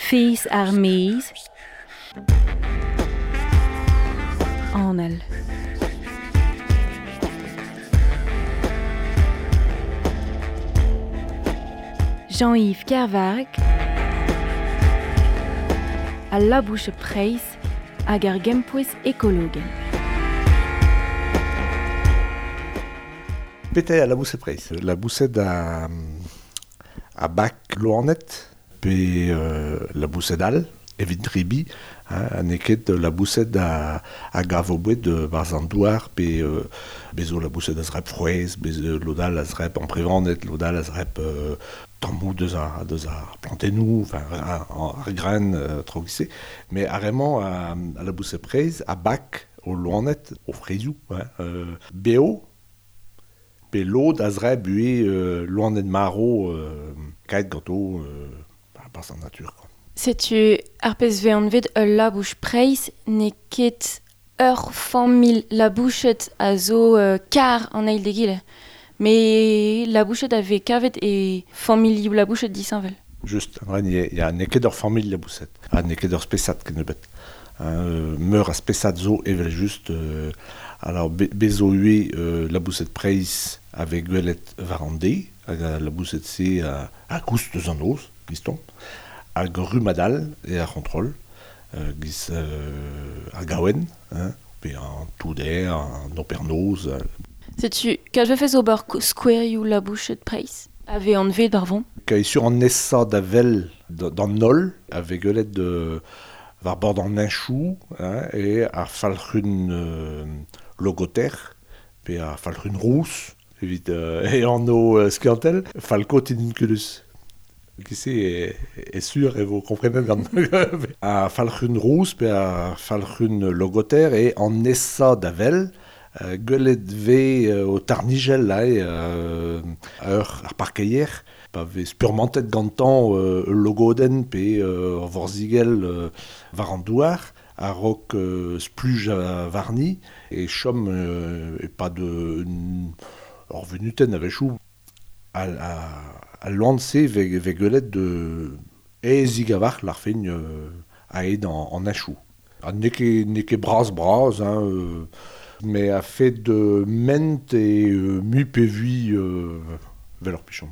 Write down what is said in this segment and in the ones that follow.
Fez ar maez. Anal. Jean-Yves Kervarg. Al labous preizh hag ar gempouez ekologel. Petra eo al laboused preizh? Laboused a, a bak loened pe laboused all evit drebiñ, ha n'eo ket laboused a, a gav o boued barzh an douar pe bez zo laboused a zreb frouezh, bez lod all a zreb amprevaned, lod all a zreb tammoù deus ar, deus ar plantennoù, enfin ar graen traoù giz-se. Met ar re-mañ a laboused preizh a bak o loened, o freizhoù, hein, bev pe lod a zreb ivez loened marv kaet ganto barzh an natur quoi. Setu ar pezh 'vez anvet ul labous preizh n'eo ket ur familh laboused a zo kar an eil d'egile. Met laboused a vez kavet e familhoù laboused disheñvel. Just, ya, n'eo ket ur familh laboused ha n'eo ket ur spesad kennebeut. Meur a spesad zo evel-just. Alors bez zo ivez laboused preizh a vez gwelet war an deiz hag al laboused-se a goust eus an noz, gistomp. Hag ur rummad all eo ar c'hontrol, giz ar gaouenn, hein, pe an touder, an opernoz. Setu, kalz 'vefes ober skouerioù laboused preizh a vez anvet war vont? Kae sur an nesañ da wel d'an holl a vez gwelet war bord an heñchoù hein, eo ar falc'hun logoter pe ar falc'hun rous evit e anv skiantel, Falco tinnunculus. Giz-se e sur e vo komprenet gant ar falc'hun rous pe ar falc'hun logoter eo an nesañ da wel. Gwelet 'vez o tarnijell aze ur ar parkeier pa vez spurmantet gantañ ul logodenn pe ur vorzhigell war an douar a-raok splujañ warni e chom e-pad ur vunutenn a-wechoù. Al loen-se 'vez gwelet aesik a-walc'h lârfen a-hed an heñchoù. Ha n'eo ket n'eo ket bras-bras hein, met a-fet ment eo mui pe vui 'vel ur pichon.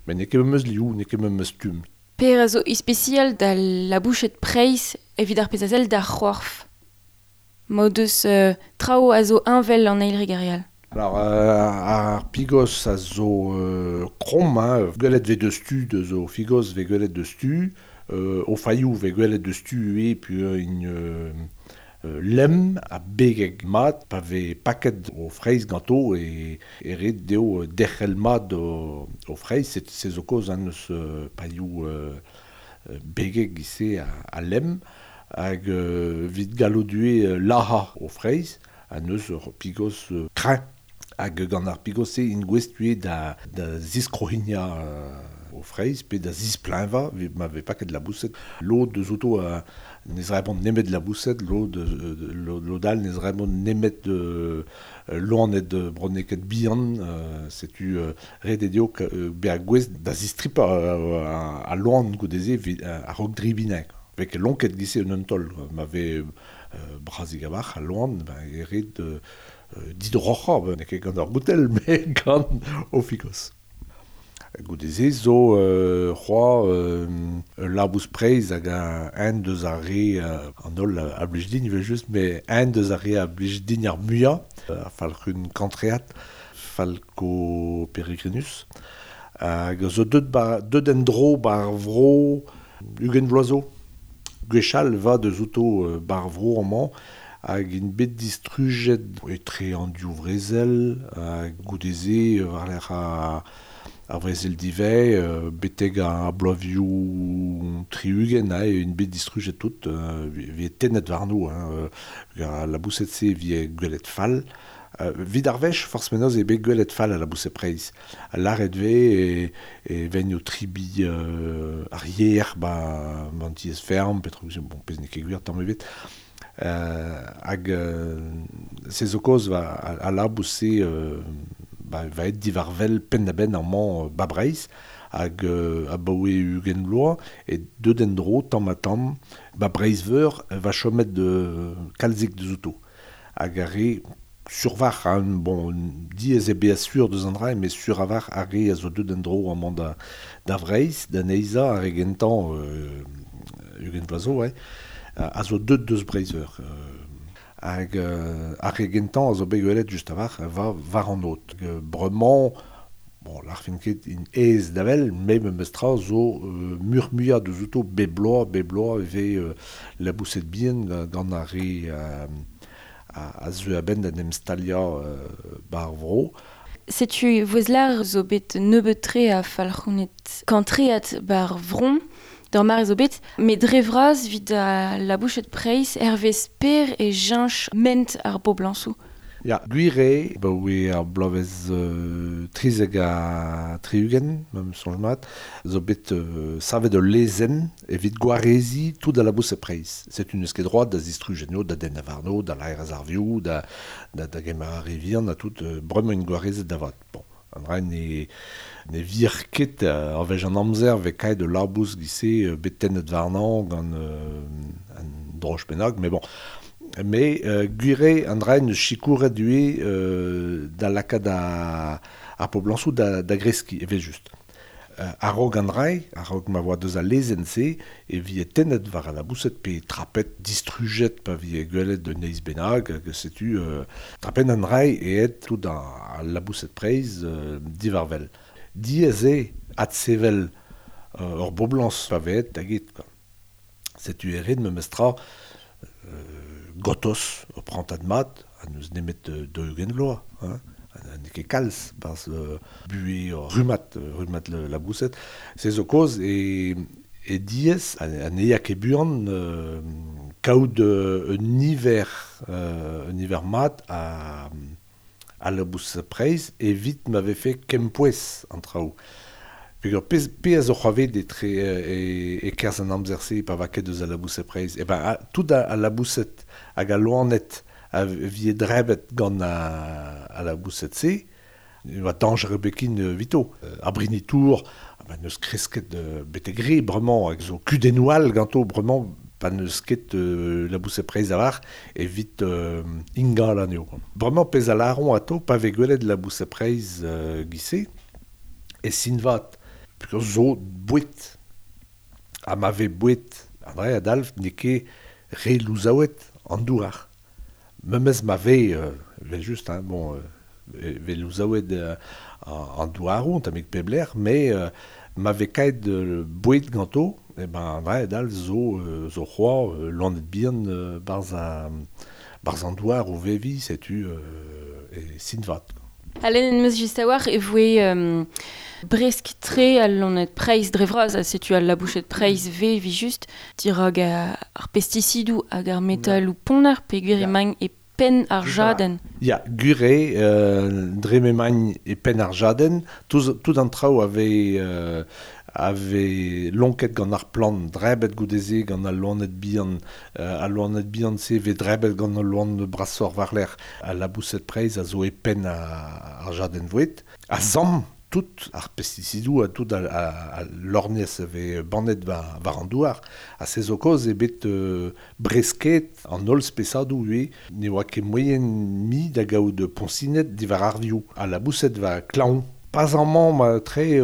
Met n'eo ket memes liv, n'eo ket memes stumm. Per a zo ispisial d'al laboused preizh evit ar pezh a sell d'ar c'horf. M'o deus traoù a zo heñvel an eil re gant ar re all. Alors ar pigos a zo kromm hein, gwelet 'vez deus tu deus o figos 'vez gwelet deus tu, o failhoù 'vez gwelet deus tu ivez peogwir int lemm ha begek mat pa vez paket o freizh ganto e ret dezho derc'hel mat o freizh se zo kaoz hein eus pailhoù begek giz-se ha lemm hag evit gallout ivez lazhañ o freizh ha neuze ur pigos kreñv. Hag gant ar pigos-se int gouest ivez da da ziskrohignañ o freizh pe da zispleñvañ evit ma vez paket laboused. Lod eus outo ne zrebont nemet laboused, lod lod all ne zrebont nemet loened bronneked bihan. Setu ret eo dezho bezañ gouest da zistripañ al loen goude-se evit a-raok debriñ anezhañ. 'Vez ket lonket giz-se en un taol ma vez brazik a-walc'h al loen, e ret didroc'hañ, n'eo ket gant ur goutell, met gant o figos. Goude-se zo c'hoazh ul labous preizh hag eñ deus ar re an holl a blij din evel-just, met eñ deus ar re a blij din ar muiañ, ar falc'hun kantreat, Falco peregrinus, hag zo deut ba deut en-dro 'ba ar vro ugent vloaz zo. Gwechall 'vat eus outo 'ba ar vro amañ hag int bet distrujet etre an div vrezel ha goude-se war-lerc'h ar brezel divez betek ar bloavezhioù tri-ugent aze int bet distrujet tout 'vije tennet warno hein al laboused-se 'vije gwelet fall. Evit ar wech, forzh penaos eo bet gwelet fall al laboused preizh. Ha lâret 'vez e vegn o tribiñ ar yer 'ba an tiez-ferm petra bon pezh n'eo ket gwir tamm ebet. Hag se zo kaoz al labous-se ba va aet diwar-wel penn-da-benn amañ 'ba Breizh. hag abaoe 20 vloaz, e deut en-dro tamm ha tamm, ba Breizh-Veur va chomet kalzik deus outo. Hag ar re survar, hein, bon, diaes eo bezañ sur deus an dra, met sur a-walc'h ar re a zo deut en-dro amañ da Vreizh, da neizhañ ar re gentañ 20 vloaz zo, ouais, a zo deut deus Breizh-Veur. Hag ar re gentañ a zo bet gwelet just a-walc'h va war an aod. Bremañ, bon, lârfen ket int aes da wel, met memestra zo muioc'h-muiañ deus outo bep bloaz e vez laboused bihan gant ar re a zeu a-benn da en em staliañ 'ba ar vro. Setu Voezlar zo bet nebeut-tre a falc'houned kantreat 'ba ar vron, d'ar mare zo bet, met dre vras evit al labouched preizh hervez per e cheñch ment ar boblañsoù. Ya, gwir eo, abaoe ar bloavezh 73, ma 'm soñj mat, zo bet savet ul lezenn evit gwareziñ tout al laboused preizh. Setu n'eus ket droad da zistruj anezho, da dennañ warno, da laerezh ar vioù, da gemer ar re vihan ha tout, bremañ int gwarezet da vat. Bon, an dra ne vir ket ar wech an amzer 'vez kaet ul labous giz-se bet tennet warnañ gant un droch bennak, met bon. Mais gwir eo an dra en deus sikouret ivez da lakaat ar poblañsoù da greskiñ evel-just. A-raok an dra, a-raok ma oa deus al lezenn-se, e vije tennet war al laboused pe trapet, distrujet pa vije gwelet un neizh bennak, hag setu trapen an dra aet tout al laboused preizh diwar wel. Diaes eo adsevel ur boblañs pa vez aet da get. Setu e ret memestra gotos ur prantad mat, ha n'eus nemet 40 vloaz, hein, n'eo ket kalz, barzh buhez rummad laboused. Se zo kaoz e diaes, ha ne ya ket buan kaout un niver mat a labous preizh evit ma vefe kempouez an traoù. Peogwir pe a zo c'hoarvezet etre e-kerzh an amzer-se pa va ket eus al laboused preizh. E ben, tout al laboused hag al loened a vije drebet gant al laboused-se, e oa dañjer ebet ken evito. Ar brini-tour, n'eus kresket betek re bremañ, hag zo kudennoù all ganto bremañ pa n'eus ket laboused preizh a-walc'h evit ingal anezho. Bremañ pezh a lâront atao pa vez gwelet laboused preizh giz-se, e sin vat. Peogwir zo boued. Ha ma vez boued, an dra a dalv n'eo ket re louzaouet an douar. Memes ma vez, evel-just, hein, bon, vez louzaouet an douaroù, un tammig pep lec'h, met ma vez kaet boued ganto, e ben an dra a dalv zo zo c'hoazh loened bihan barzh an douar o veviñ, setu e sin vat. Ha lennet em eus just a-walc'h e voe bresk-tre al loened preizh dre vras, ha setu al labouched preizh 'vez evel-just dirak ar pestisidoù hag ar metaloù ponner peogwir emaint e penn ar jadenn. Ya, gwir eo, dre m'emaint e penn ar jadenn, tout an traoù a vez lonket gant ar plant, drebet goude-se gant al loened bihan, al loened bihan-se vez drebet gant al loen brasoc'h war-lerc'h. Al laboused preizh a zo e penn ar jadenn voued. A samm tout ar pestisidoù ha tout al lorgnez a vez bannet war an douar. Ha se zo kaoz eo bet bresket an holl spesadoù ivez. Ne oa ket moaien mui da gaout poñsined diwar ar vioù. Al laboused war klañv. Pas amañ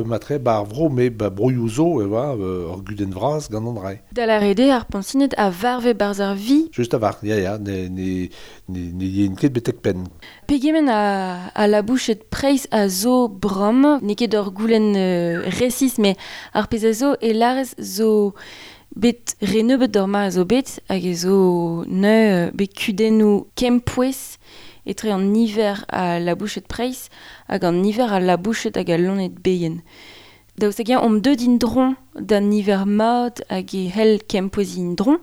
matre 'ba ar vro, met 'ba broioù zo e oa ur gudenn vras gant an dra. Da lâret eo ar poñsined a varve 'barzh ar vi. Just a-walc'h, ya, ne yeint ket betek penn. Pegement a labouched preizh a zo bremañ, n'eo ket ur goulenn resis, met ar pezh a zo e lârez zo bet re nebeut d'ur mare zo bet, hag e zo neuze bet kudennoù kempouez etre an niver a labouched preizh hag an niver a labouched hag a loened bihan. Daoust hag-eñ omp deuet en-dro d'an niver mat hag e c'hell kempoueziñ en-dro,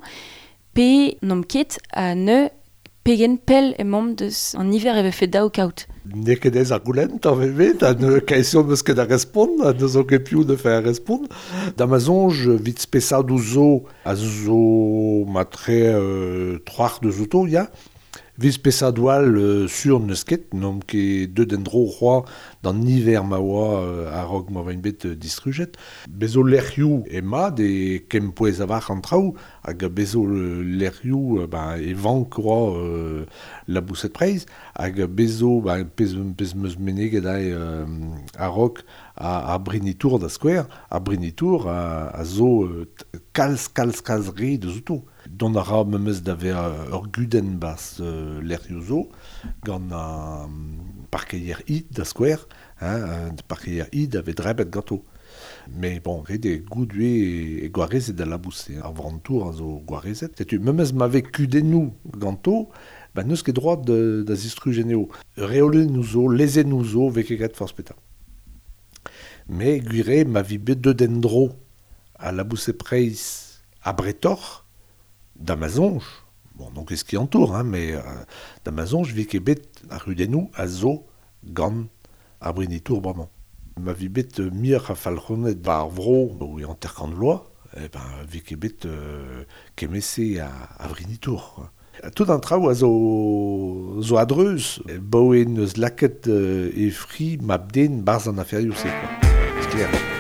pe n'omp ket ha neuze pegen pell emaomp deus an niver e vefe dav kaout. N'eo ket aes ar goulenn, tamm ebet, ha ne kaesion n'eus ket da respont, ha n'eus ket piv da faire respont. Da ma soñj, evit spesadoù zo, a zo matre troac'h deus outo, ya. Vez pesadoù all sur n'eus ket, n'omp ket deut en-dro c'hoazh d'an niver ma oa a-raok ma oaint bet distrujet. Bez zo lec'hioù mat e kempouez a-walc'h an traoù, hag bez zo lec'hioù e vank c'hoazh laboused preizh, hag bez zo pezh 'm eus meneget aze a-raok ar brini-tour da skouer, ar brini-tour a zo kalz kalz kalz re deus outo. Dont a ra memes da vezañ ur gudenn 'barzh lec'hioù zo, gant ar parkeier id da skouer, hein, parkeier id a vez drebet ganto. Met bon, ret eo goût ivez e gwarezet al labous-se, ar vran-tour a zo gwarezet. Setu memes ma vez kudennoù ganto, ba n'eus ket droad da zistruj anezho. Reolennoù zo, lezennoù zo, 'vez ket graet forzh petra. Met gwir eo ma vi bet deuet en-dro al laboused-preizh abretoc'h, da ma soñj, bon n'on ket skiantour hein, met da ma soñj 'vez ket bet ar c'hudennoù a zo gant ar brini-tour bremañ. Ma vi bet muioc'h a falc'honed 'ba ar vro o 50 vloaz, eh ben 'vez ket bet kement-se a vrini-tour quoi. Tout an traoù a zo a-dreuz, 'baoe 'neus lakaet e fri mab-den 'barzh an aferioù-se quoi. Sklaer.